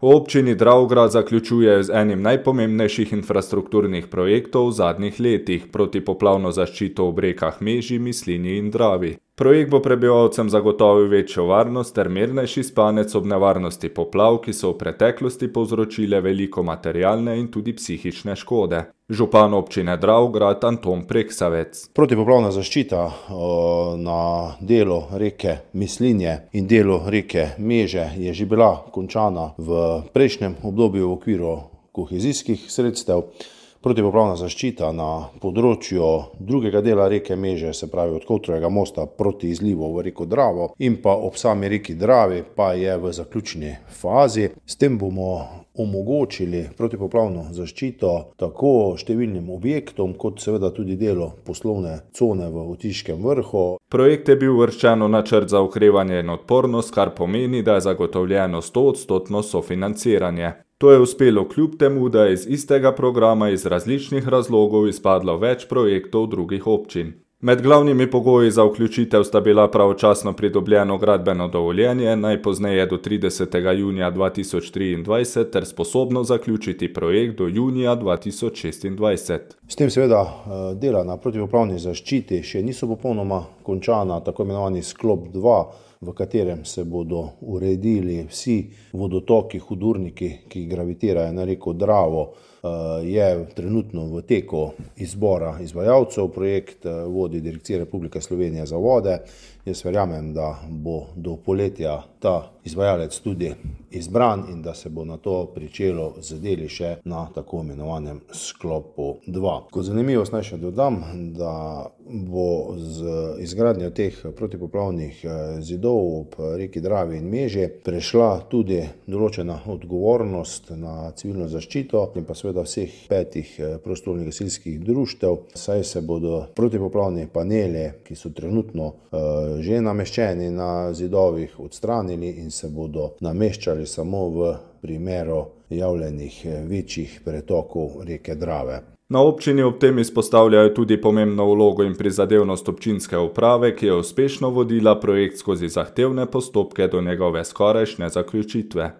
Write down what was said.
V občini Dravograd zaključujejo z enim najpomembnejših infrastrukturnih projektov v zadnjih letih protipoplavno zaščito ob rekah Meži, Mislinji in Dravi. Projekt bo prebivalcem zagotovil večjo varnost ter mirnejši spanec ob nevarnosti poplav, ki so v preteklosti povzročile veliko materialne in tudi psihične škode. Župan občine Dravograd Anton Preksavec. Protipoplavna zaščita na delu reke Mislinje in delu reke Meže je že bila končana v prejšnjem obdobju v okviru kohezijskih sredstev. Protipoplavna zaščita na področju drugega dela reke Meže, se pravi od Kovtrovega mosta proti izlivu v reko Dravo in pa ob sami reki Dravi, pa je v zaključni fazi. S tem bomo omogočili protipoplavno zaščito tako številnim objektom, kot seveda tudi delu poslovne cone v Otiškem vrhu. Projekt je bil uvrščen v načrt za okrevanje in odpornost, kar pomeni, da je zagotovljeno 100% sofinanciranje. To je uspelo kljub temu, da je iz istega programa iz različnih razlogov izpadlo več projektov drugih občin. Med glavnimi pogoji za vključitev sta bila pravočasno pridobljeno gradbeno dovoljenje, najpozneje do 30. junija 2023, ter sposobno zaključiti projekt do junija 2026. S tem seveda dela na protipoplavni zaščiti še niso popolnoma končana, tako imenovani sklop 2, v katerem se bodo uredili vsi vodotoki, hudurniki, ki gravitirajo na reko Dravo, je trenutno v teku izbora izvajalcev. Projekt vodi Direkcija Republike Slovenije za vode. Jaz verjamem, da bo do poletja ta izvajalec tudi izbran in da se bo na to pričelo z deli še na tako imenovanem sklopu 2. Kot zanimivost naj še dodam, da bo z izgradnjo teh protipoplavnih zidov ob reki Dravi in Meži prešla tudi določena odgovornost na civilno zaščito in pa seveda vseh 5 prostovoljnih gasilskih društev, saj se bodo protipoplavni paneli, ki so trenutno že nameščeni na zidovih, odstranili in se bodo nameščali samo v primeru javljenih večjih pretokov reke Drave. Na občini ob tem izpostavljajo tudi pomembno vlogo in prizadevnost občinske uprave, ki je uspešno vodila projekt skozi zahtevne postopke do njegove skorajšnje zaključitve.